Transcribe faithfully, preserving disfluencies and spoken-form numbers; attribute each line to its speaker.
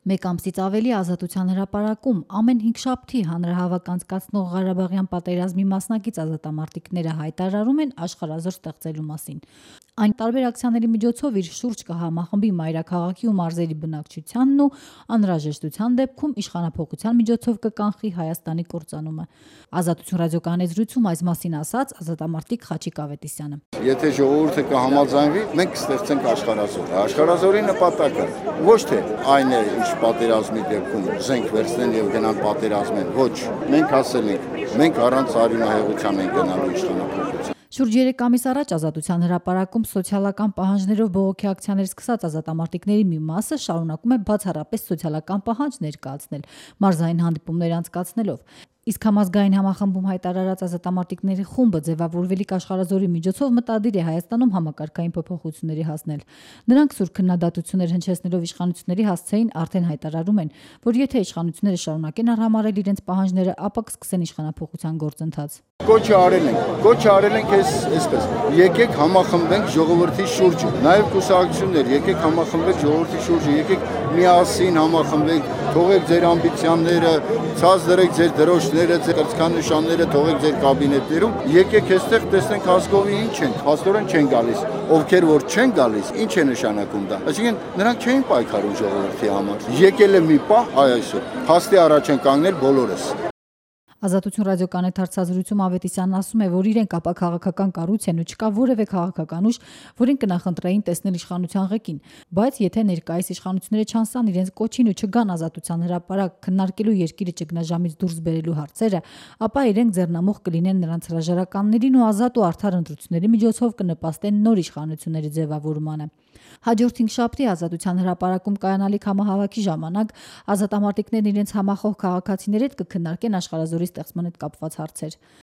Speaker 1: Մեկ ամսից ավելի Ազատության հրապարակում ամեն հինգշաբթի հանրահավաք անցկացնող Ղարաբաղյան պատերազմի մասնակից ազատամարտիկները հայտարարում են աշխարհազոր ստեղծելու մասին։ Այն տարբեր ակցիաների միջոցով իր շուրջ կհամախմբի մայրաքաղաքի ու մարզերի բնակչությանն ու անհրաժեշտության դեպքում իշխանափոխության միջոցով կկանխի Հայաստանի կործանումը։ Ազատություն ռադիոկայանի զրույցում այս մասին ասաց ազատամարտիկ Խաչիկ Ավետիսյանը։
Speaker 2: Եթե ժողովուրդը կհամաձայնվի, մենք կստեղծենք աշխարհազոր։ Աշխարհազորի նպատակը ոչ թե այն է, ինչ պատերազմի դեպքում զենք վերցնեն եւ գնան պատերազմեն, ոչ, մենք ասել ենք, մենք առանց արյունահեղության ենք գնալու իշխանափոխության։
Speaker 1: Շուրջ երեք ամիս առաջ Ազատության հրապարակում սոցիալական պահանջներով բողոքի ակցիաներ սկսած ազատամարտիկների մի մասը շարունակում է բացառապես սոցիալական պահանջ ներկայացնել, մարզային հանդիպումներ անցկացնելով։ Իսկ համազգային համախմբում հայտարարած ազատամարտիկների խումբը ձևավորվելիք աշխարհազորի միջոցով մտադիր է Հայաստանում համակարգային փոփոխությունների հասնել։ Նրանք սուր քննադատություններ հնչեցնելով իշխանությունների հասցեին արդեն հայտարարում են, որ եթե իշխանությունները շարունակեն արհամարել իրենց պահանջները, ապա կսկսեն իշխանափոխության գործընթաց։
Speaker 2: Կոչ արել ենք, կոչ արել ենք այս այսպես։ Եկեք համախմբենք ժողովրդի շուրջը, նաև կուսակցություններ, եկեք համախմբենք ժողովրդի շուրջը, եկեք միասին համախմբենք, թողեք ձեր ամբիցիաները, ցած դրեք ձեր դրոշները, ձեր կրծքանշանները, թողեք ձեր կաբինետներում, եկեք այստեղ տեսնենք հասկովի ինչ են, հաստորեն չեն գալիս, ովքեր որ չեն գալիս, ինչ է նշանակում դա։ Այսինքն նրանք չէին պայքարում ժողովրդի համար։ Եկել է մի պահ, այ այսօր, փաստի առաջ են կանգնել բոլորս։
Speaker 1: Ազատություն ռադիոկայանի հարցազրույցում Ավետիսյանն ասում է, որ իրենք ապաքաղաքական կառույց են ու չկա որևէ քաղաքական ուժ, որին կնախընտրեին տեսնել իշխանության ղեկին, բայց եթե ներկայիս իշխանությունները չանսան իրենց կոչին ու չգան Ազատության հրապարակ քննարկելու երկիրը ճգնաժամից դուրս բերելու հարցերը, ապա իրենք ձեռնամուխ կլինեն նրանց հրաժարականներին ու ազատ ու արդար ընտրությունների միջոցով կնպաստեն նոր իշխանությունների ձևավորմանը։ Հաջորդ հինգշաբթի Ազատության հրապարակում կայանալիք համահավաքի ժամանակ ազատամարտիկներն իրենց համախոհ քաղաքացիների հետ կքննարկեն աշխարհազորի ստեղծման հետ կապված հարցեր։